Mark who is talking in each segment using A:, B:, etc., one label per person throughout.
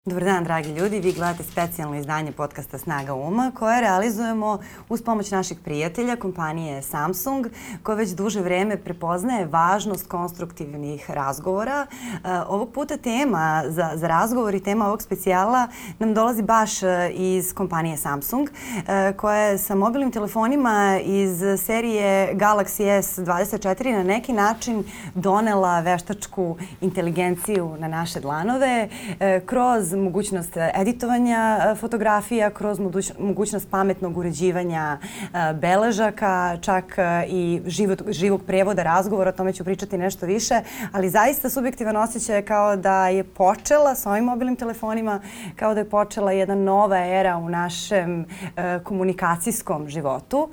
A: Dobar dan, dragi ljudi. Vi gledate specijalno izdanje podcasta Snaga uma koje realizujemo uz pomoć naših prijatelja, kompanije Samsung, koja već duže vreme prepoznaje važnost konstruktivnih razgovora. Ovog puta tema za razgovor i tema ovog specijala nam dolazi baš iz kompanije Samsung, koja je sa mobilnim telefonima iz serije Galaxy S24 na neki način donela veštačku inteligenciju na naše dlanove kroz mogućnost editovanja fotografija, kroz mogućnost pametnog uređivanja beležaka, čak i živog prevoda razgovora, o tome ću pričati nešto više, ali zaista subjektivan osjećaj je kao da je počela s ovim mobilnim telefonima, kao da je počela jedna nova era u našem komunikacijskom životu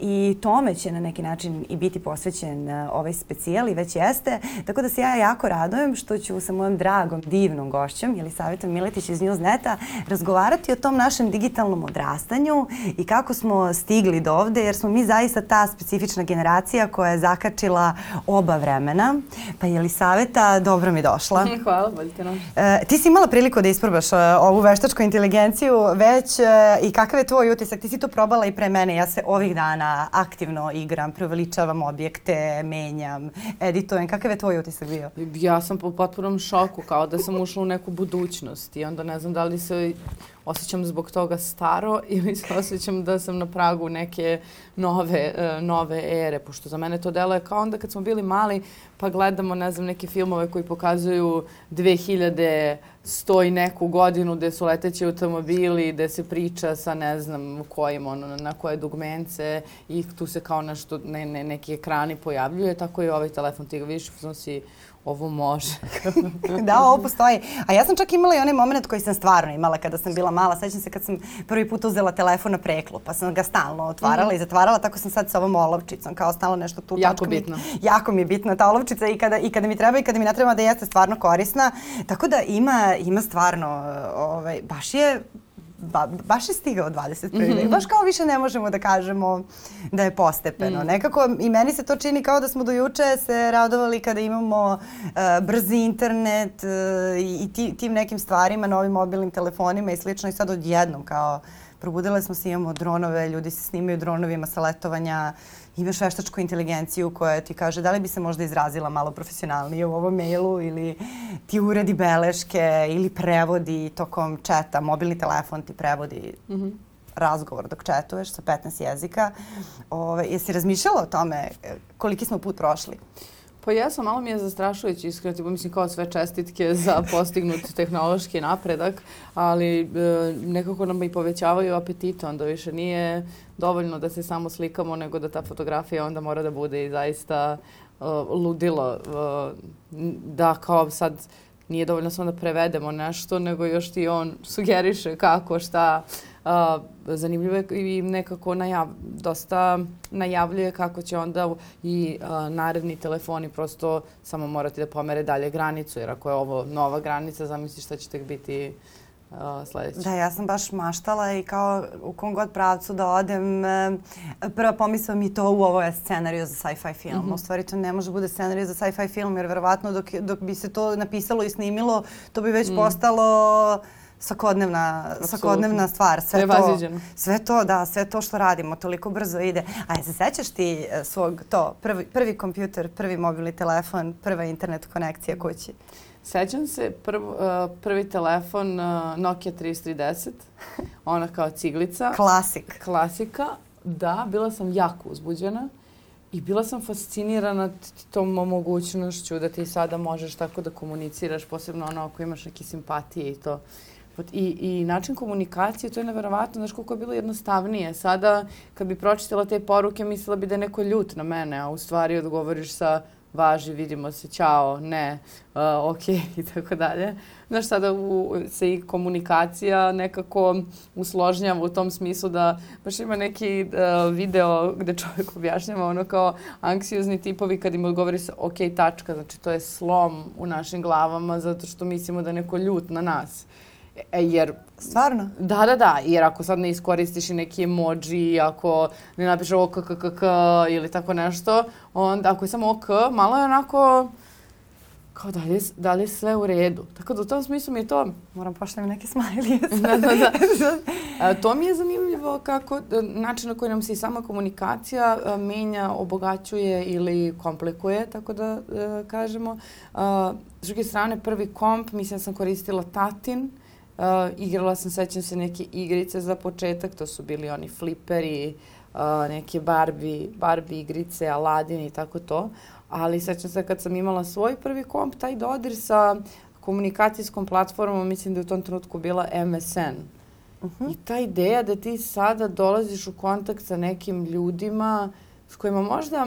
A: i tome će na neki način i biti posvećen ovaj specijal i već jeste, tako da se ja jako radujem što ću sa mojom dragom, divnom gošćom, Jelisavetom Miletić iz Newsneta, razgovarati o tom našem digitalnom odrastanju i kako smo stigli do ovde, jer smo mi zaista ta specifična generacija koja je zakačila oba vremena. Pa Jelisaveta, dobro mi došla.
B: Hvala, bolje te našla.
A: Ti si imala priliku da isprobaš ovu veštačku inteligenciju već i kakav je tvoj utisak? Ti si to probala i pre mene. Ja se ovih dana aktivno igram, preuveličavam objekte, menjam, editujem. Kakav je tvoj utisak bio?
B: Ja sam po potpunom šoku, kao da sam ušla u neku budućnost i onda ne znam da li se osjećam zbog toga staro ili se osjećam da sam na pragu neke nove ere, pošto za mene to deluje kao onda kad smo bili mali pa gledamo, ne znam, neke filmove koji pokazuju 2100 i neku godinu gde su leteći automobili, gde se priča sa ne znam kojim, na koje dugmence i tu se kao nešto, neki ekrani pojavljuje, tako i ovaj telefon, ti ga vidiš, si ovo može.
A: Da, ovo postoji. A ja sam čak imala i onaj moment koji sam stvarno imala kada sam bila mala. Sećam se kad sam prvi put uzela telefon na preklu, pa sam ga stalno otvarala i zatvarala, tako sam sad sa ovom olovčicom, kao stalno nešto tu.
B: Jako bitno.
A: Jako mi je bitna ta olovčica i kada mi treba i kada mi ne treba, da jeste stvarno korisna. Tako da ima stvarno, baš je stigao 21. vek. Baš kao više ne možemo da kažemo da je postepeno. Nekako i meni se to čini kao da smo do juče se radovali kada imamo brzi internet i tim nekim stvarima, novim mobilnim telefonima i slično i sad odjednom kao probudile smo se, imamo dronove, ljudi se snimaju dronovima sa letovanja, imaš veštačku inteligenciju koja ti kaže da li bi se možda izrazila malo profesionalnije u ovom mailu ili ti uredi beleške ili prevodi tokom četa, mobilni telefon ti prevodi razgovor dok četuješ sa 15 jezika. Jesi razmišljala o tome koliki smo put prošli?
B: Pa jesam, malo mi je zastrašujući iskreno, mislim kao sve čestitke za postignut tehnološki napredak, ali nekako nam i povećavaju apetite, onda više nije dovoljno da se samo slikamo, nego da ta fotografija onda mora da bude i zaista ludilo, da kao sad nije dovoljno samo da prevedemo nešto, nego još ti on sugeriše kako, šta. Zanimljivo je i nekako dosta najavljuje kako će onda i naredni telefoni prosto samo morati da pomere dalje granicu, jer ako je ovo nova granica, zamisli šta će tek biti sledeće.
A: Da, ja sam baš maštala i kao u kom god pravcu da odem, prva pomisla mi to ovo je scenariju za sci-fi film. U stvari to ne može bude scenariju za sci-fi film, jer verovatno dok bi se to napisalo i snimilo, to bi već postalo svakodnevna stvar. Sve to što radimo, toliko brzo ide. A se sećaš ti svog prvi kompjuter, prvi mobilni telefon, prva internet konekcija kući?
B: Sećam se prvi telefon Nokia 3310, ona kao ciglica. Klasika. Da, bila sam jako uzbuđena i bila sam fascinirana tom mogućnošću da ti sada možeš tako da komuniciraš, posebno ako imaš neke simpatije i to. I način komunikacije, to je neverovatno, znaš koliko je bilo jednostavnije. Sada, kad bi pročitala te poruke, mislila bi da je neko ljut na mene, a u stvari odgovoriš sa važi, vidimo se, ćao, ne, okej, i tako dalje. Znaš, sada se i komunikacija nekako usložnjava u tom smislu da baš ima neki video gde čovjek objašnjava ono kao anksiozni tipovi kad im odgovori sa okej, tačka, znači to je slom u našim glavama zato što mislimo da je neko ljut na nas. Jer
A: stvarno?
B: Da. Jer ako sad ne iskoristiš i neki emoji, ako ne napišeš ovo KKKK ili tako nešto, onda ako je samo OK, malo je onako kao da li je sve u redu. Tako da u tom smislu mi je to...
A: Moram pošaljem neke smajlije.
B: To mi je zanimljivo kako način na koji nam se i sama komunikacija menja, obogaćuje ili komplikuje, tako da kažemo. S druge strane, prvi komp, mislim da sam koristila tatin. Igrala sam, sećam se, neke igrice za početak. To su bili oni fliperi, neke Barbie igrice, Aladin i tako to. Ali sećam se kad sam imala svoj prvi komp, taj dodir sa komunikacijskom platformom, mislim da je u tom trenutku bila MSN. I ta ideja da ti sada dolaziš u kontakt sa nekim ljudima s kojima možda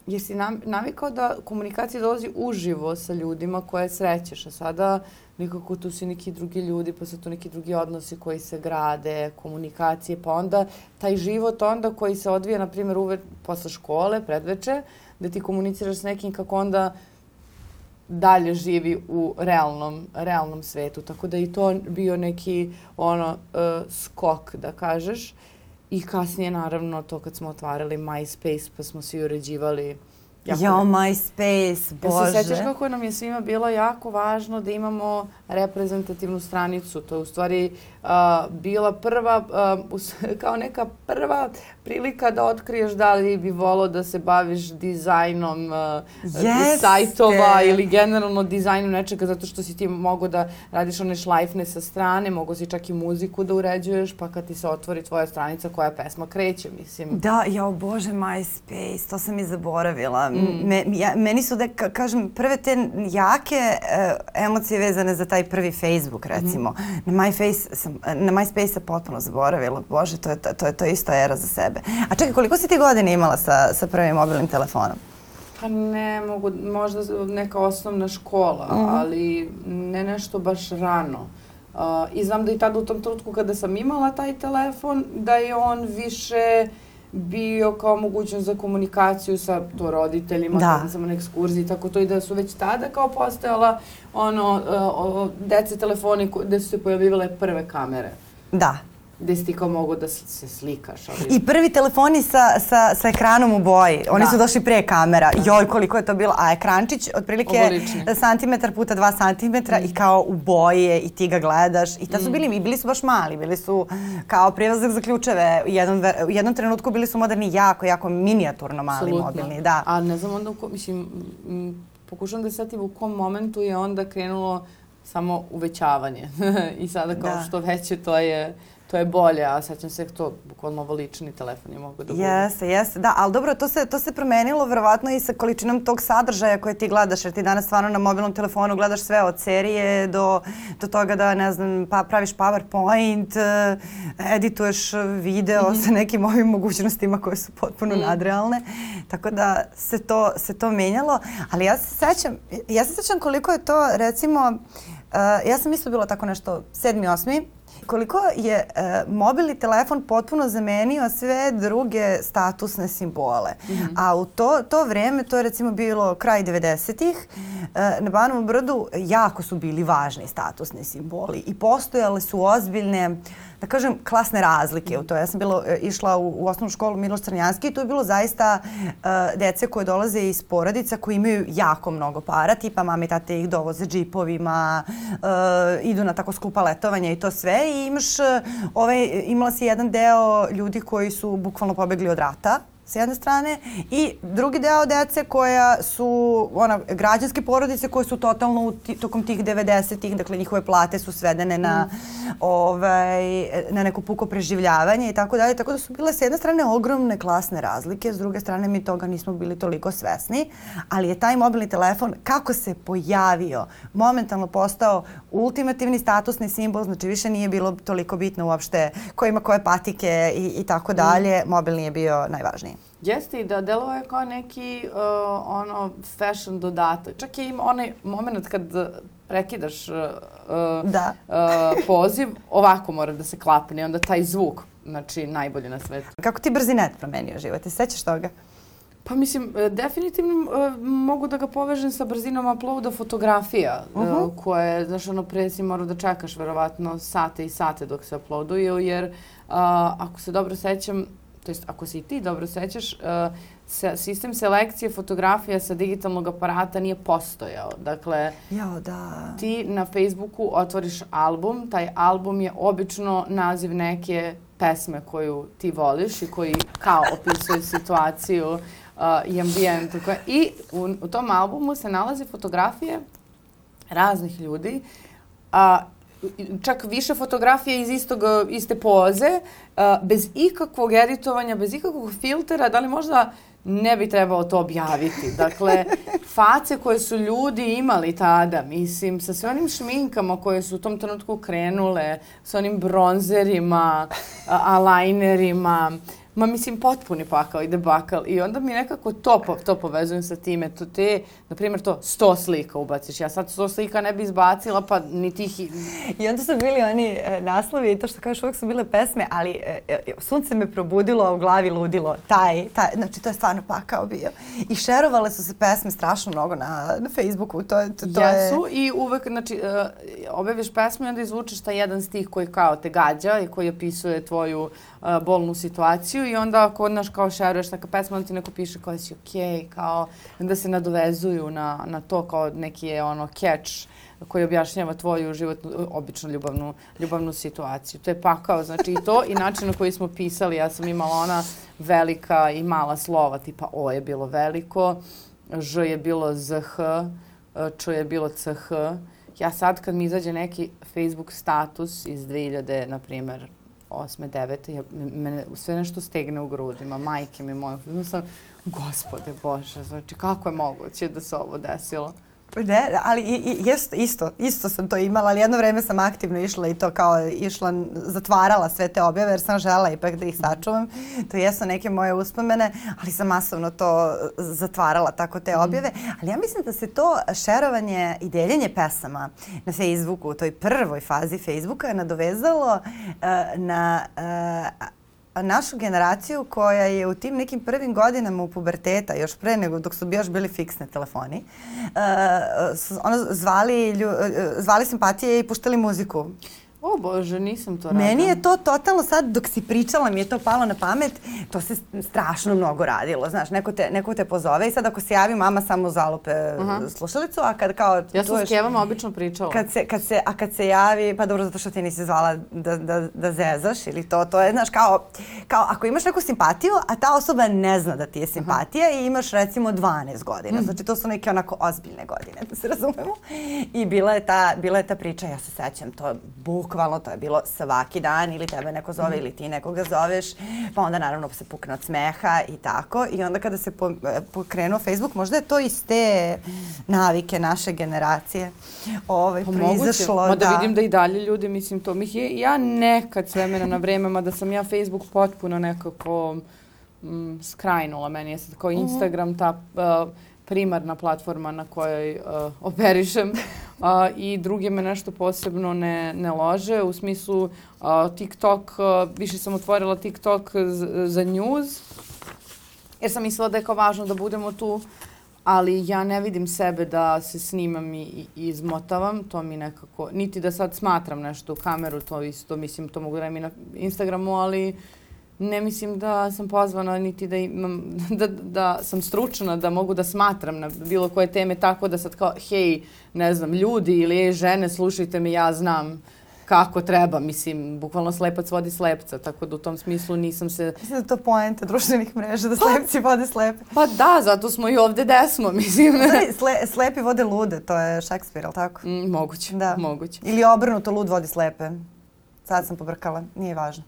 B: jesi navikao da komunikacija dolazi uživo sa ljudima koje srećeš, a sada nekako tu si neki drugi ljudi, pa su tu neki drugi odnosi koji se grade, komunikacije, pa onda taj život onda koji se odvija, na primjer, posle škole, predveče, da ti komuniciraš s nekim kako onda dalje živi u realnom svetu. Tako da i to bio neki skok, da kažeš. I kasnije, naravno, to kad smo otvarali MySpace, pa smo svi uređivali.
A: MySpace, bože.
B: Se sjećaš kako nam je svima bilo jako važno da imamo reprezentativnu stranicu. To je u stvari bila prva, kao neka prva prilika da otkriješ da li bi volao da se baviš dizajnom sajtova ili generalno dizajnom nečega, zato što si ti mogao da radiš one šlajfne sa strane, mogao si čak i muziku da uređuješ, pa kad ti se otvori tvoja stranica, koja pesma kreće, mislim.
A: Da, bože, MySpace, to sam i zaboravila. Meni su, da kažem, prve te jake emocije vezane za taj prvi Facebook, recimo. Na MySpace sam potpuno zaboravila. Bože, to je isto era za sebe. A čekaj, koliko si ti godine imala sa prvim mobilnim telefonom?
B: Pa ne mogu, možda neka osnovna škola, ali ne nešto baš rano. I znam da i tada u tom trenutku kada sam imala taj telefon, da je on više bio kao mogućnost za komunikaciju sa to roditeljima, kada sam na ekskurziji, tako to i da su već tada kao postojala dece telefoni gde su se pojavljivale prve kamere.
A: Da.
B: Gde si ti kao mogu da se slikaš.
A: I prvi telefoni sa ekranom u boji. Oni su došli pre kamera. Joj, koliko je to bilo. A ekrančić, otprilike santimetar puta 2 santimetra i kao u boji je i ti ga gledaš. I tad su bili su baš mali. Bili su kao prelazak za ključeve. U jednom trenutku bili su moderni jako minijaturno mali mobilni. Da.
B: A ne znam onda, mislim, pokušam da setim u kom momentu je onda krenulo samo uvećavanje. I sada kao što veće to je bolje, a sećam se to bukvalno ovo lični telefoni mogu da budu.
A: Jeste, da, ali dobro, to se promenilo verovatno i sa količinom tog sadržaja koje ti gledaš, jer ti danas stvarno na mobilnom telefonu gledaš sve od serije do toga da, ne znam, praviš PowerPoint, edituješ video sa nekim ovim mogućnostima koje su potpuno nadrealne, tako da se to menjalo, ali ja se sećam koliko je to, recimo, ja sam isto bila tako nešto 7. 8. Koliko je mobilni telefon potpuno zamenio sve druge statusne simbole. A u to vreme, to je recimo bilo kraj 90-ih, na Banovom brdu jako su bili važni statusni simboli i postojale su ozbiljne, da kažem, klasne razlike u to. Ja sam išla u osnovnu školu Miloš Crnjanski i tu je bilo zaista dece koje dolaze iz porodica koji imaju jako mnogo para, tipa mame i tate ih dovoze džipovima, idu na tako skupa letovanja i to sve. I imala si jedan deo ljudi koji su bukvalno pobegli od rata s jedne strane i drugi deo dece koja su građanske porodice koje su totalno tokom tih 90-ih, dakle njihove plate su svedene na neko puko preživljavanje i tako dalje. Tako da su bile s jedne strane ogromne klasne razlike, s druge strane mi toga nismo bili toliko svesni, ali je taj mobilni telefon kako se pojavio, momentalno postao ultimativni statusni simbol, znači više nije bilo toliko bitno uopšte ko ima koje patike i tako dalje, mobilni je bio najvažniji.
B: Jeste i da delovao je kao neki fashion dodatak. Čak je ima onaj moment kad prekidaš poziv, ovako mora da se klapne, onda taj zvuk, znači najbolji na svetu.
A: Kako ti brzinet promenio život? Ti sećaš toga?
B: Pa mislim, definitivno mogu da ga povežem sa brzinom uploada fotografija, koje, znaš, pre si morao da čekaš verovatno sate i sate dok se uploaduju, jer ako se dobro sećam, to jest ako se i ti dobro sećaš, sistem selekcije fotografija sa digitalnog aparata nije postojao. Dakle, ti na Facebooku otvoriš album, taj album je obično naziv neke pesme koju ti voliš i koji kao opisuje situaciju i ambijent. I u tom albumu se nalaze fotografije raznih ljudi, čak više fotografije iz iste poze, bez ikakvog editovanja, bez ikakvog filtera, da li možda ne bi trebalo to objaviti. Dakle, face koje su ljudi imali tada, mislim, sa sve onim šminkama koje su u tom trenutku krenule, sa onim bronzerima, eyelinerima, mislim, potpuni pakao i debakal. I onda mi nekako to povezujem sa time. Na primjer, 100 slika ubaciš. Ja sad 100 slika ne bi izbacila, pa ni tih...
A: I onda su bili oni naslovi i to što kažeš, uvijek su bile pesme, ali sunce me probudilo, a u glavi ludilo. Znači, to je stvarno pakao bio. I šerovale su se pesme strašno mnogo na Facebooku.
B: Jesu i uvek, znači, objaviš pesmu i onda izvučeš taj jedan stih koji kao te gađa i koji opisuje tvoju bolnu situaciju i onda ako odnaš kao šeruješ neka pesma, onda ti neko piše kao da si okej, kao da se nadovezuju na to kao neki je catch koji objašnjava tvoju životnu, obično ljubavnu situaciju. To je pakao, znači i to i način na koji smo pisali. Ja sam imala ona velika i mala slova, tipa O je bilo veliko, Ž je bilo ZH, Č je bilo CH. Ja sad kad mi izađe neki Facebook status iz 2000, na primjer, 8. 9. Mene sve nešto stegne u grudima, majke mi moje. Gospode Bože, znači kako je moguće da se ovo desilo?
A: Ne, ali isto sam to imala, ali jedno vreme sam aktivno išla i to kao zatvarala sve te objave jer sam žela ipak da ih sačuvam. To jesu neke moje uspomene, ali sam masovno to zatvarala tako te objave. Ali ja mislim da se to šerovanje i deljenje pesama na Facebooku, u toj prvoj fazi Facebooka je nadovezalo na našu generaciju koja je u tim nekim prvim godinama u puberteta, još pre nego dok su još bili fiksni telefoni, zvali simpatije i puštali muziku.
B: O Bože, nisam to radila.
A: Meni je to totalno sad, dok si pričala, mi je to palo na pamet, to se strašno mnogo radilo, znaš, neko te pozove i sad ako se javi mama samo zalupe slušalicu, a kad kao...
B: Ja sam s Kevama obično pričala.
A: Kad se javi, pa dobro, zato što ti nisi zvala da zezaš ili to je, znaš, kao ako imaš neku simpatiju, a ta osoba ne zna da ti je simpatija i imaš recimo 12 godina, znači to su neke onako ozbiljne godine, da se razumemo. I bila je ta priča, ja se sećam, to bukvalno to je bilo svaki dan ili tebe neko zove ili ti nekoga zoveš, pa onda naravno se pukne od smeha i tako. I onda kada se pokrenuo Facebook, možda je to iz te navike naše generacije proizašlo.
B: Mada vidim da i dalje ljudi, mislim, to mi je, ja nekad s vremena na vreme, mada sam ja Facebook potpuno nekako skrajnula. Meni je sad kao Instagram ta primarna platforma na kojoj operišem i druge me nešto posebno ne lože. U smislu TikTok, više sam otvorila TikTok za news, jer sam mislila da je kao važno da budemo tu, ali ja ne vidim sebe da se snimam i izmotavam. To mi nekako, niti da sad smatram nešto u kameru, to isto, mislim, to mogu da radim i na Instagramu, ali ne mislim da sam pozvana niti da imam, da sam stručna, da mogu da smatram na bilo koje teme tako da sad kao, hej, ne znam, ljudi ili žene, slušajte me, ja znam kako treba, mislim, bukvalno slepac vodi slepca, tako da u tom smislu nisam se...
A: Mislim da to poenta društvenih mreža, da slepci vode slepe.
B: Pa da, zato smo i ovde gde smo, mislim.
A: Slepi vode lude, to je Šekspir, ali tako?
B: Moguće,
A: da.
B: Moguće.
A: Ili obrnuto, lud vodi slepe. Sad sam pobrkala, nije važno.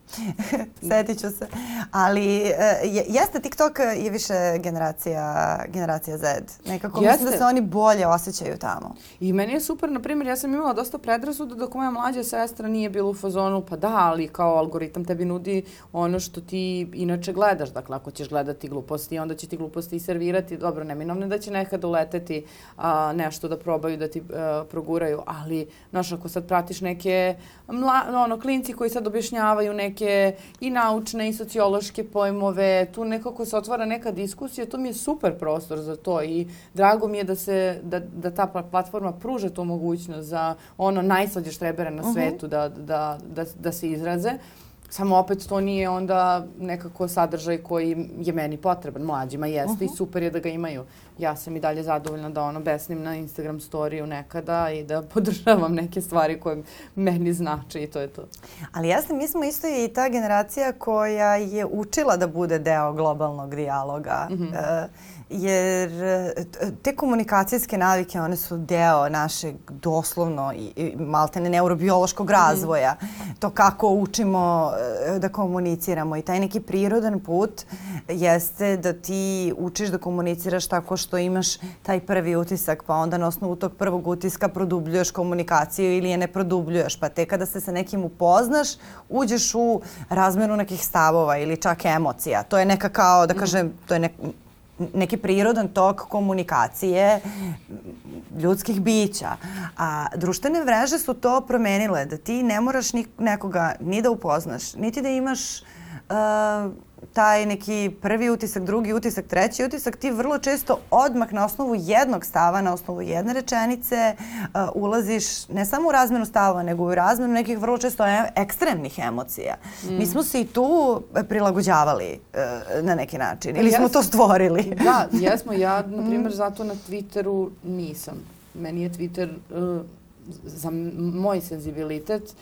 A: Setit ću se. Ali jeste, TikTok je više generacija Z. Nekako mislim da se oni bolje osjećaju tamo.
B: I meni je super, na primjer, ja sam imala dosta predrasuda dok moja mlađa sestra nije bila u fazonu, pa da, ali kao algoritam tebi nudi ono što ti inače gledaš. Dakle, ako ćeš gledati gluposti, onda će ti gluposti i servirati. Dobro, neminovno da će nekada uleteti nešto da probaju da ti proguraju, ali, znaš, ako sad pratiš neke klinci koji sad objašnjavaju neke i naučne i sociološke pojmove, tu nekako se otvara neka diskusija, to mi je super prostor za to i drago mi je da ta platforma pruža tu mogućnost za najslađe štrebere na svetu da se izraze. Samo opet to nije onda nekako sadržaj koji je meni potreban. Mlađima jeste i super je da ga imaju. Ja sam i dalje zadovoljna da besnim na Instagram storiju nekada i da podržavam neke stvari koje meni znače i to je to.
A: Ali jeste, mi smo isto i ta generacija koja je učila da bude deo globalnog dijaloga. Jer te komunikacijske navike, one su deo našeg doslovno i maltene neurobiološkog razvoja. To kako učimo da komuniciramo i taj neki prirodan put jeste da ti učiš da komuniciraš tako što imaš taj prvi utisak, pa onda na osnovu tog prvog utiska produbljuješ komunikaciju ili je ne produbljuješ, pa te kada se sa nekim upoznaš, uđeš u razmenu nekih stavova ili čak emocija. To je neka kao, da kažem, to je neki prirodan tok komunikacije ljudskih bića. A društvene mreže su to promenile, da ti ne moraš nekoga ni da upoznaš, niti da imaš taj neki prvi utisak, drugi utisak, treći utisak, ti vrlo često odmah na osnovu jednog stava, na osnovu jedne rečenice ulaziš ne samo u razmenu stavova, nego u razmenu nekih vrlo često ekstremnih emocija. Mi smo se i tu prilagođavali na neki način. Ili smo to stvorili?
B: Da, jesmo. Ja, na primjer, zato na Twitteru nisam. Meni je Twitter za moj senzibilitet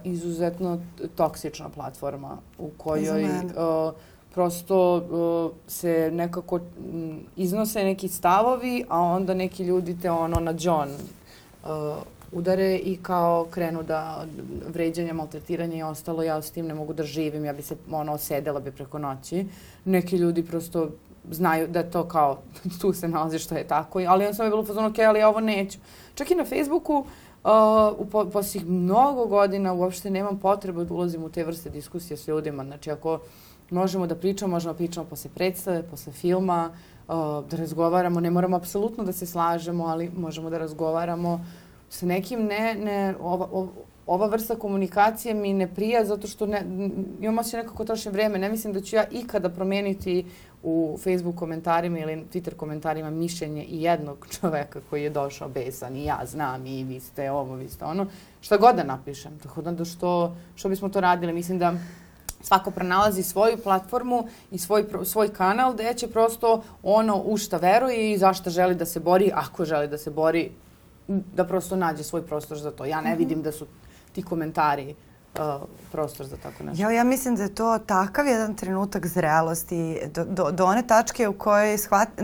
B: izuzetno toksična platforma u kojoj prosto se nekako iznose neki stavovi, a onda neki ljudi te na đon udare i kao krenu da vređanja, maltretiranja i ostalo, ja s tim ne mogu da živim, ja bi se osedela bi preko noći. Neki ljudi prosto znaju da je to kao, tu se nalazi što je tako, ali on sam je bilo u fazonu, ok, ali ja ovo neću. Čak i na Facebooku, poslije mnogo godina uopšte nemam potrebu da ulazim u te vrste diskusije s ljudima. Znači, ako možemo da pričamo posle predstave, posle filma, da razgovaramo. Ne moramo apsolutno da se slažemo, ali možemo da razgovaramo sa nekim. Ova vrsta komunikacije mi ne prija zato što imam osjećaj nekako trošim vreme. Ne mislim da ću ja ikada promijeniti u Facebook komentarima ili Twitter komentarima mišljenje i jednog čoveka koji je došao besan i ja znam i vi ste ovo, vi ste ono. Šta god da napišem. Tako da što bismo to radili? Mislim da svako pronalazi svoju platformu i svoj kanal gdje će prosto u šta veruje i za šta želi da se bori, ako želi da se bori, da prosto nađe svoj prostor za to. Ja ne vidim da su ti komentari prostor za tako nešto.
A: Ja mislim da je to takav jedan trenutak zrelosti do one tačke u kojoj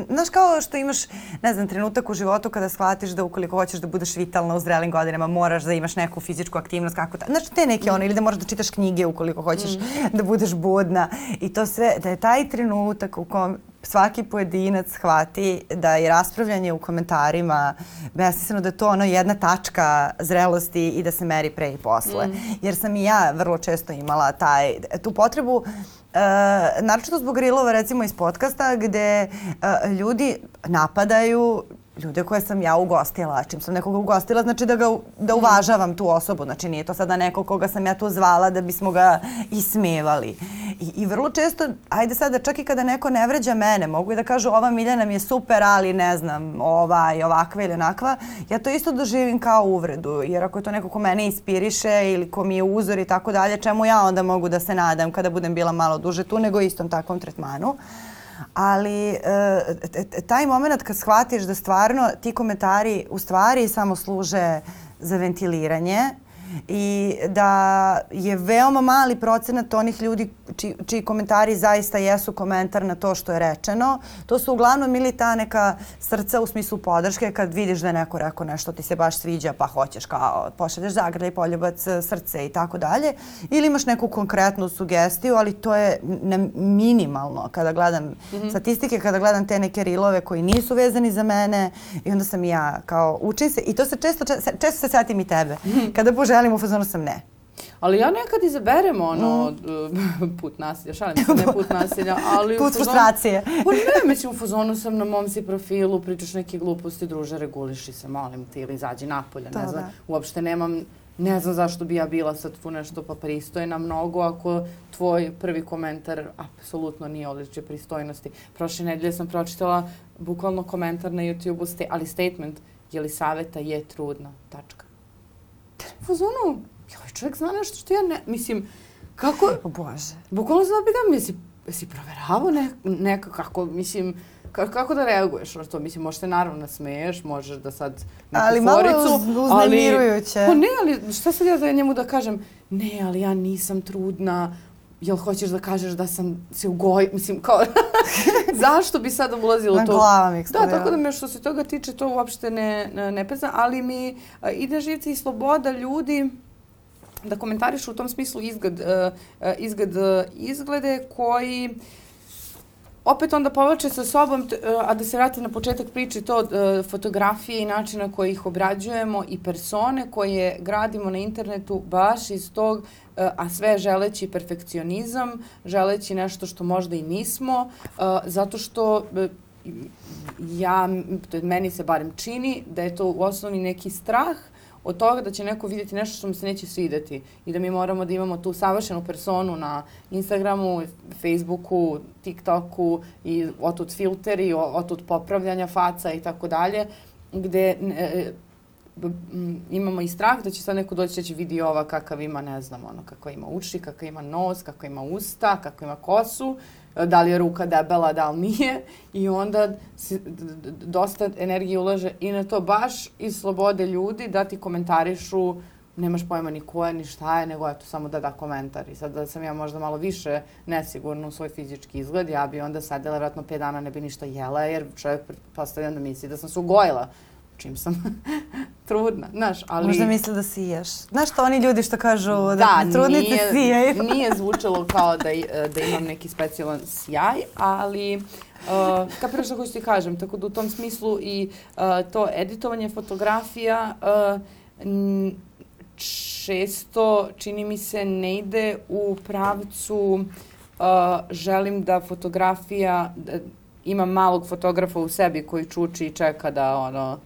A: znaš kao što imaš, ne znam, trenutak u životu kada shvatiš da ukoliko hoćeš da budeš vitalna u zrelim godinama, moraš da imaš neku fizičku aktivnost, znaš te neke ili da moraš da čitaš knjige ukoliko hoćeš da budeš budna i to sve, da je taj trenutak u kom svaki pojedinac shvati da je raspravljanje u komentarima besmisleno, da je to jedna tačka zrelosti i da se meri pre i posle. Jer sam i ja vrlo često imala tu potrebu, naročito zbog rilova recimo iz podcasta gde ljudi napadaju ljude koje sam ja ugostila. Čim sam nekoga ugostila, znači da uvažavam tu osobu. Znači nije to sada neko koga sam ja tu zvala da bismo ga ismevali. I vrlo često, ajde sada, čak i kada neko ne vređa mene, mogu i da kažu ova Miljana mi je super, ali ne znam, ova i ovakva ili onakva, ja to isto doživim kao uvredu. Jer ako je to neko ko mene inspiriše ili ko mi je uzor i tako dalje, čemu ja onda mogu da se nadam kada budem bila malo duže tu nego istom takvom tretmanu. Ali taj moment kad shvatiš da stvarno ti komentari u stvari samo služe za ventiliranje i da je veoma mali procenat onih ljudi čiji komentari zaista jesu komentar na to što je rečeno. To su uglavnom ili ta neka srca u smislu podrške kad vidiš da je neko rekao nešto ti se baš sviđa pa hoćeš kao pošalješ zagrljaj, poljubac, srce i tako dalje. Ili imaš neku konkretnu sugestiju, ali to je minimalno kada gledam statistike, kada gledam te neke rilove koji nisu vezani za mene i onda sam ja kao učim se i to se često se setim i tebe. Kada poželim u fazonu sam ne.
B: Ali ja nekad izaberem put nasilja, šalim se, ne put nasilja, ali
A: put frustracije.
B: Pa ne, mislim, u fazonu sam na mom si profilu, pričaš neke gluposti, druže, reguliši se, molim te, ili izađi napolja, ne znam, uopšte nemam, ne znam zašto bi ja bila sad tu nešto pa pristojna mnogo, ako tvoj prvi komentar apsolutno nije odličje pristojnosti. Prošle nedelje sam pročitala bukvalno komentar na YouTube-u, ali statement, Jelisaveta je trudna, tačka. U fazonu, čovjek zna nešto što ja ne, mislim, Kako?
A: Bože.
B: Bukvalno sam pitam, jesi proveravao nekako, kako, mislim, kako da reaguješ na to? Mislim, možeš te naravno nasmeješ, možeš da sad neku
A: ali
B: foricu.
A: Ali malo uznemirujuće.
B: Pa ne, ali šta sad ja da njemu da kažem? Ne, ali ja nisam trudna. Jel hoćeš da kažeš da sam se mislim, kao, zašto bi sada ulazilo to?
A: Na glava mi eksplodira.
B: Da, tako da me što se toga tiče, to uopšte ne pezna, ali mi ide živce i sloboda ljudi da komentarišu u tom smislu izglede koji opet onda povlače sa sobom, a da se vrati na početak priče, to fotografije i načina na koji ih obrađujemo i persone koje gradimo na internetu baš iz tog, a sve želeći perfekcionizam, želeći nešto što možda i nismo, zato što meni se barem čini da je to u osnovi neki strah od toga da će neko vidjeti nešto što mu se neće svidjeti i da mi moramo da imamo tu savršenu personu na Instagramu, Facebooku, TikToku i otud filteri, otud popravljanja faca i tako dalje, gde imamo i strah da će sad neko doći da će vidi ova kakav ima, ne znam, ono, kako ima uši, kako ima nos, kako ima usta, kako ima kosu, da li je ruka debela, da li nije i onda dosta energije ulaže i na to baš iz slobode ljudi da ti komentarišu, nemaš pojma ni ko je, ni šta je, nego eto samo da komentar. I sad da sam ja možda malo više nesigurna u svoj fizički izgled, ja bi onda sedela, vjerojatno 5 dana ne bi ništa jela, jer čovjek pretpostavljam da misli da sam se ugojila čim sam trudna, znaš, ali...
A: Možda misli da siješ. Znaš što oni ljudi što kažu da trudnice sijaju?
B: Nije zvučalo kao da imam neki specijalan sjaj, ali kapiraš što hoću ti kažem, tako da u tom smislu i to editovanje fotografija često, čini mi se, ne ide u pravcu želim da fotografija, imam malog fotografa u sebi koji čuči i čeka da ono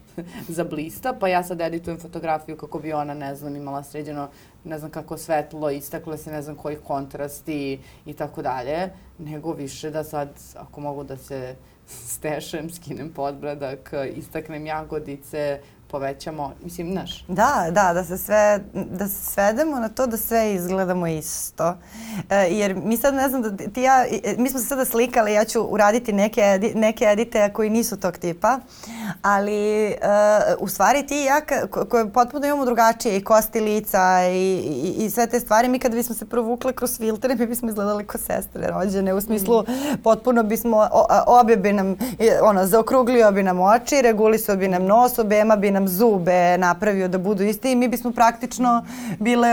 B: zablista, pa ja sad editujem fotografiju kako bi ona, ne znam, imala sređeno, ne znam kako svetlo, istakle se, ne znam koji kontrasti i tako dalje, nego više da sad, ako mogu da se stešem, skinem podbradak, istaknem jagodice, povećamo, mislim, znaš.
A: Da se svedemo na to da sve izgledamo isto. Jer mi sad, ne znam, mi smo se sada slikali, ja ću uraditi neke edite koji nisu tog tipa, ali u stvari ti i ja koje potpuno imamo drugačije i kosti lica i sve te stvari, mi kada bismo se provukle kroz filtere, mi bismo izgledali kao sestre rođene, u smislu potpuno bismo, obje bi nam, zaokruglio bi nam oči, regulisao bi nam nos, obema bi nam zube napravio da budu isti i mi bismo praktično bile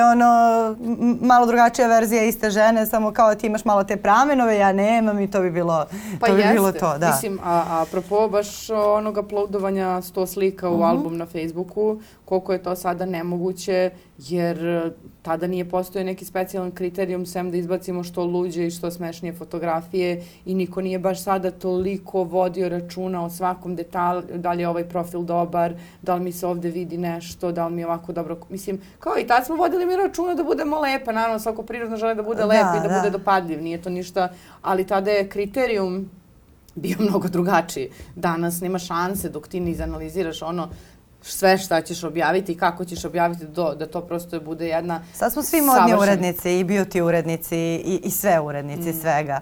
A: malo drugačija verzija iste žene, samo kao ti imaš malo te pramenove, ja nemam i to bi bilo to. Da.
B: Mislim, apropo baš onog uploadovanja 100 slika u album na Facebooku, koliko je to sada nemoguće, jer tada nije postojao neki specijalan kriterijum sem da izbacimo što luđe i što smešnije fotografije i niko nije baš sada toliko vodio računa o svakom detalju, da li je ovaj profil dobar, da li mi se ovde vidi nešto, da li mi je ovako dobro, mislim, kao i tad smo vodili mi računa da budemo lepe, naravno svako prirodno želi da bude lep i da bude dopadljiv, nije to ništa, ali tada je kriterijum bio mnogo drugačiji. Danas nema šanse dok ti ne izanaliziraš ono sve šta ćeš objaviti i kako ćeš objaviti da to prosto bude jedna
A: sad smo svi modni urednici i beauty urednici i sve urednici svega.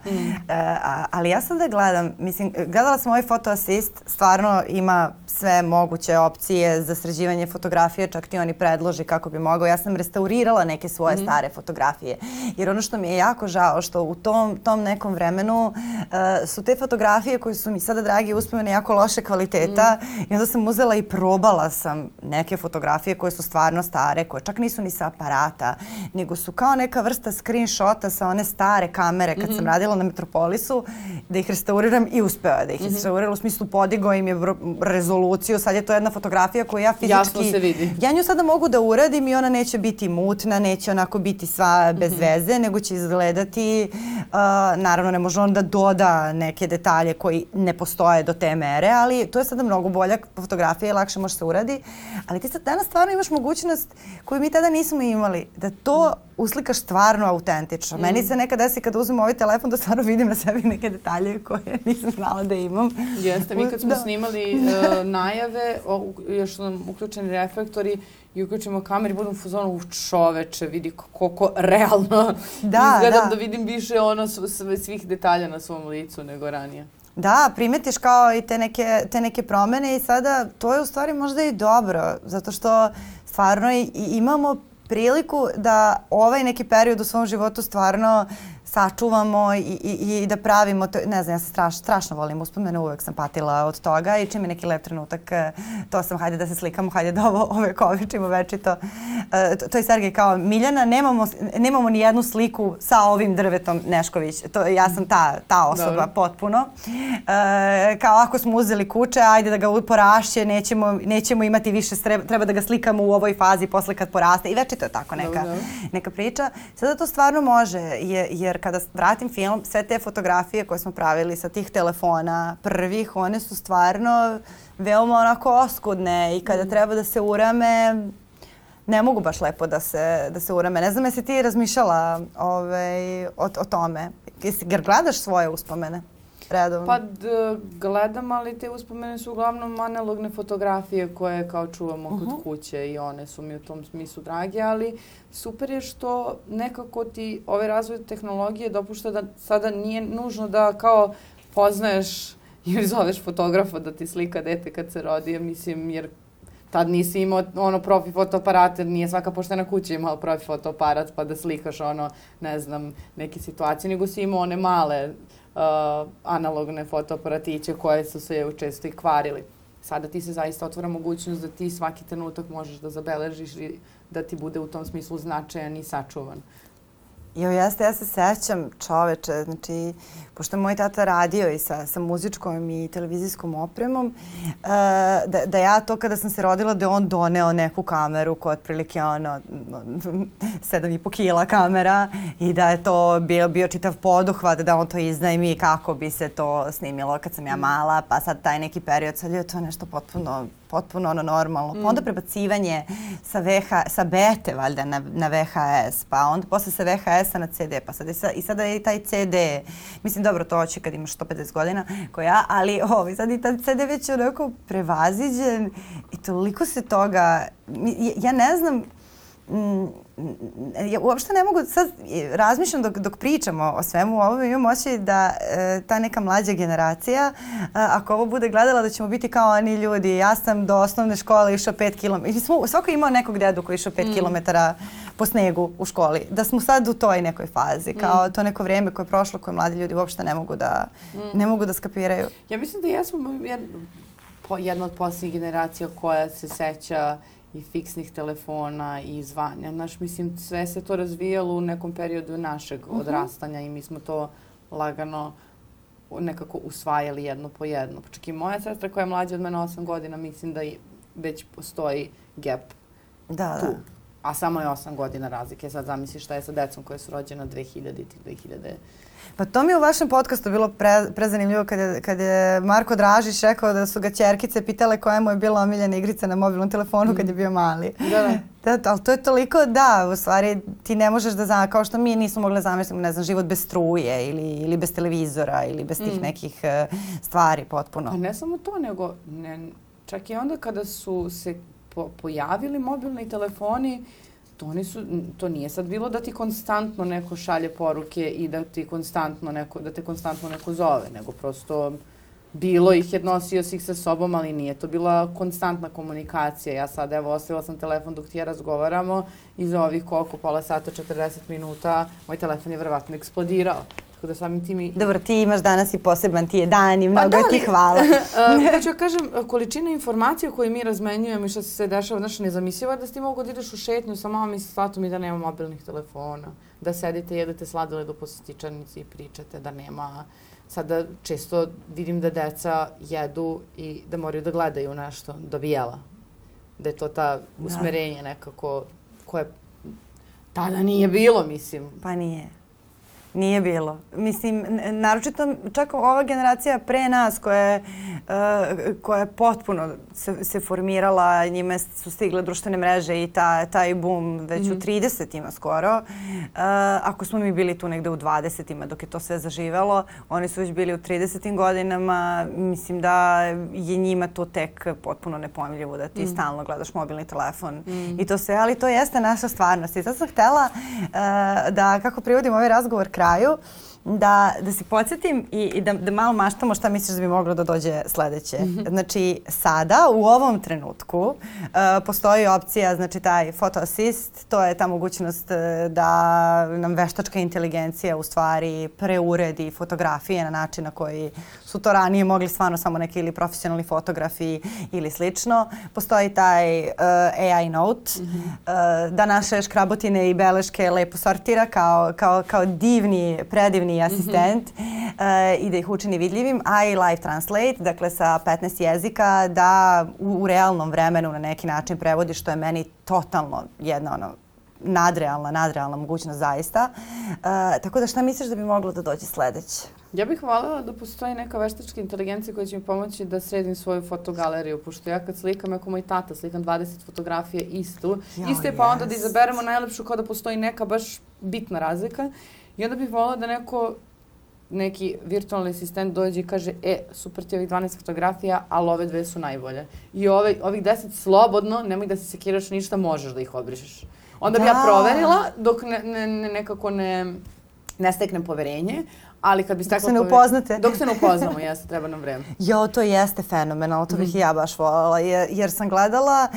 A: Ali ja sam da gledam, mislim, gledala sam ovaj Photo Assist, stvarno ima sve moguće opcije za sređivanje fotografije, čak ti oni predloži kako bi mogao. Ja sam restaurirala neke svoje stare fotografije, jer ono što mi je jako žao, što u tom nekom vremenu su te fotografije koje su mi sada dragi uspomene jako loše kvaliteta i onda sam uzela i probala sam neke fotografije koje su stvarno stare, koje čak nisu ni sa aparata, nego su kao neka vrsta screenshota sa one stare kamere kad sam radila na Metropolisu, da ih restauriram i uspela da ih restaurirala, u smislu podigao im je rezoluciju, sad je to jedna fotografija koju ja fizički...
B: Jasno se vidi.
A: Ja nju sada mogu da uradim i ona neće biti mutna, neće onako biti sva bez veze, nego će izgledati, naravno ne može on da doda neke detalje koji ne postoje do te mere, ali to je sada mnogo bolja fotografija i lakše može se uraditi. uradi. Ali ti sad danas stvarno imaš mogućnost koju mi tada nismo imali, da to uslikaš stvarno autentično. Meni se nekad desi kada uzmem ovaj telefon da stvarno vidim na sebi neke detalje koje nisam znala da imam.
B: Jeste, mi kad smo snimali najave, još su nam uključeni reflektori i uključimo kameru i budem u fazonu čoveče, vidi koliko realno izgledam da vidim više svih detalja na svom licu nego ranije.
A: Da, primetiš kao i te neke promene i sada to je u stvari možda i dobro, zato što stvarno imamo priliku da ovaj neki period u svom životu stvarno sačuvamo i da pravimo, ne znam, ja se strašno volim uspomene, uvek sam patila od toga i čim je neki lep trenutak, to sam, hajde da se slikamo, hajde da ove kovičimo večito. To je Sergej kao, Miljana, nemamo ni jednu sliku sa ovim drvetom Nešković. Ja sam ta osoba potpuno. Kao ako smo uzeli kuće, ajde da ga porašće, nećemo imati više, treba da ga slikamo u ovoj fazi posle kad poraste i večito je tako neka priča. Sada to stvarno može, jer kada vratim film, sve te fotografije koje smo pravili sa tih telefona prvih, one su stvarno veoma onako oskudne i kada treba da se urame, ne mogu baš lepo da se urame. Ne znam, jesi ti razmišljala o tome? Jer gledaš svoje uspomene redovno?
B: Pa gledam, ali te uspomene su uglavnom analogne fotografije koje kao čuvamo kod kuće i one su mi u tom smislu drage, ali super je što nekako ti ovaj razvoj tehnologije dopušta da sada nije nužno da kao poznaješ ili zoveš fotografa da ti slika dete kad se rodi, mislim, jer tad nisi imao profi fotoaparat, jer nije svaka poštena kuća imala profi fotoaparat pa da slikaš ne znam, neke situacije, nego si imao one male analogne fotoaparatiće koje su se često i kvarili. Sada ti se zaista otvara mogućnost da ti svaki trenutak možeš da zabeležiš i da ti bude u tom smislu značajan i sačuvan.
A: Ja se sećam, čoveče, znači, pošto je moj tata radio i sa muzičkom i televizijskom opremom, da ja to kada sam se rodila, da je on doneo neku kameru koja je otprilike 7,5 kila kamera i da je to bio čitav poduhvat, da on to iznajmi kako bi se to snimilo kad sam ja mala, pa sad taj neki period, sad je to nešto potpuno normalno. Pa onda prebacivanje sa bete valjda na VHS, pa onda posle sa VHS-a na CD, pa sada je i taj CD. Mislim, dobro, to će kad imaš 150 godina ko ja, ali sad i taj CD već je onako prevaziđen i toliko se toga, ja ne znam, ja uopšte ne mogu, sad razmišljam dok pričamo o svemu ovome, imam osjećaj da ta neka mlađa generacija, ako ovo bude gledala, da ćemo biti kao oni ljudi. Ja sam do osnovne škole išao 5 km. Svako imao nekog dedu koji išao 5 km po snegu u školi. Da smo sad u toj nekoj fazi, kao to neko vrijeme koje je prošlo, koje mladi ljudi uopšte ne mogu da skapiraju.
B: Ja mislim da jesmo jedna od posljednjih generacija koja se seća i fiksnih telefona i zvanja. Mislim, sve se to razvijalo u nekom periodu našeg odrastanja i mi smo to lagano nekako usvajali jedno po jedno. Čak i moja sestra koja je mlađa od mene 8 godina, mislim da već postoji gap tu. A samo je 8 godina razlike. Sad zamisli šta je sa decom koje su rođena 2000 i 2000.
A: Pa to mi je u vašem podcastu bilo prezanimljivo kad je Marko Dražić rekao da su ga ćerkice pitale koja mu je bila omiljena igrica na mobilnom telefonu kad je bio mali. Ali to je toliko, u stvari ti ne možeš da znaš, kao što mi nismo mogli zamisliti, ne znam, život bez struje ili bez televizora ili bez tih nekih stvari potpuno.
B: Pa ne samo to, nego čak i onda kada su se pojavili mobilni telefoni, to nije sad bilo da ti konstantno neko šalje poruke i da te konstantno neko zove, nego prosto bilo ih je, nosio si ih sa sobom, ali nije to bila konstantna komunikacija. Ja sad, ostavila sam telefon dok ti ja razgovaramo i za ovih pola sata, 40 minuta, moj telefon je verovatno eksplodirao. Da samim tim
A: Dobro, ti imaš danas i poseban ti je dan i mnogo ti hvala.
B: Hoću kažem, količina informacija koje mi razmenjujemo i što se dešava, nezamislivo je da ti mogu da ideš u šetnju sa mamom i sa tatom i da nema mobilnih telefona. Da sedite, jedete sladoled u poslastičarnici i pričate, da nema. Sada često vidim da deca jedu i da moraju da gledaju nešto, da bi jela. Da je to ta usmerenje nekako koje tada nije bilo, mislim.
A: Pa nije. Nije bilo. Mislim, naročito čak ova generacija pre nas koja je potpuno se formirala, njime su stigle društvene mreže i taj boom već u 30-ima skoro. Ako smo mi bili tu negde u 20-ima dok je to sve zaživelo, oni su već bili u 30-im godinama. Mislim da je njima to tek potpuno nepojmljivo da ti stalno gledaš mobilni telefon i to sve, ali to jeste naša stvarnost. I sad sam htela da, kako privodim ovaj razgovor kraju, da se podsjetim i da malo maštamo šta misliš da bi moglo da dođe sledeće. Znači, sada, u ovom trenutku, postoji opcija, znači taj photo assist, to je ta mogućnost da nam veštačka inteligencija u stvari preuredi fotografije na način na koji su to ranije mogli stvarno samo neki ili profesionalni fotografi ili slično. Postoji taj AI note, da naše škrabotine i beleške lepo sortira kao divni, predivni asistent i da ih učini vidljivim, a i live translate, dakle sa 15 jezika, da u realnom vremenu na neki način prevodi, što je meni totalno jedna nadrealna mogućnost zaista. Tako da šta misliš da bi moglo da dođe sledeće?
B: Ja bih voljela da postoji neka veštačka inteligencija koja će mi pomoći da sredim svoju fotogaleriju, pošto ja kad slikam, ako moj tata slikam 20 fotografije isto je pa onda da izaberemo najlepšu kao da postoji neka baš bitna razlika. I onda bih voljela da neki virtualni asistent dođe i kaže super ti ovih 12 fotografija, ali ove 2 su najbolje. I ovih 10 slobodno, nemoj da se sekiraš ništa, možeš da ih obrišeš. Onda bi ja proverila dok nekako ne steknem poverenje, ali kad bi stekla
A: dok se ne upoznate.
B: Dok se ne upoznamo, jeste, treba nam vreme.
A: Jo, to jeste fenomenalno, to bih i ja baš voljela, jer sam gledala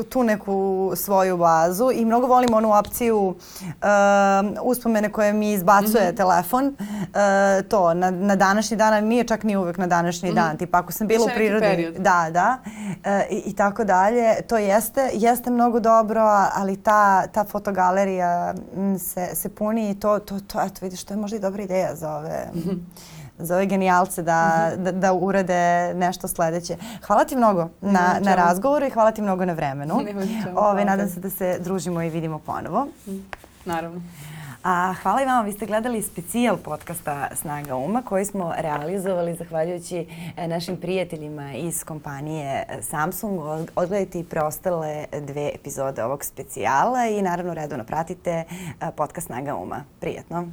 A: tu neku svoju bazu i mnogo volim onu opciju uspomene koje mi izbacuje telefon. To, na današnji dan, ali nije čak ni uvek na današnji dan. Tipa, ako sam bila u prirodi. Da. I tako dalje. To jeste mnogo dobro, ali ta fotogalerija se puni i to, eto vidiš, to je možda i dobra ideja za ove genijalce da urade nešto sledeće. Hvala ti mnogo na razgovoru i hvala ti mnogo na vremenu. Nadam se da se družimo i vidimo ponovo.
B: Naravno.
A: Hvala i vama, vi ste gledali specijal podcasta Snaga uma koji smo realizovali zahvaljujući našim prijateljima iz kompanije Samsung. Odgledajte i preostale 2 epizode ovog specijala i naravno redovno pratite podcast Snaga uma. Prijetno!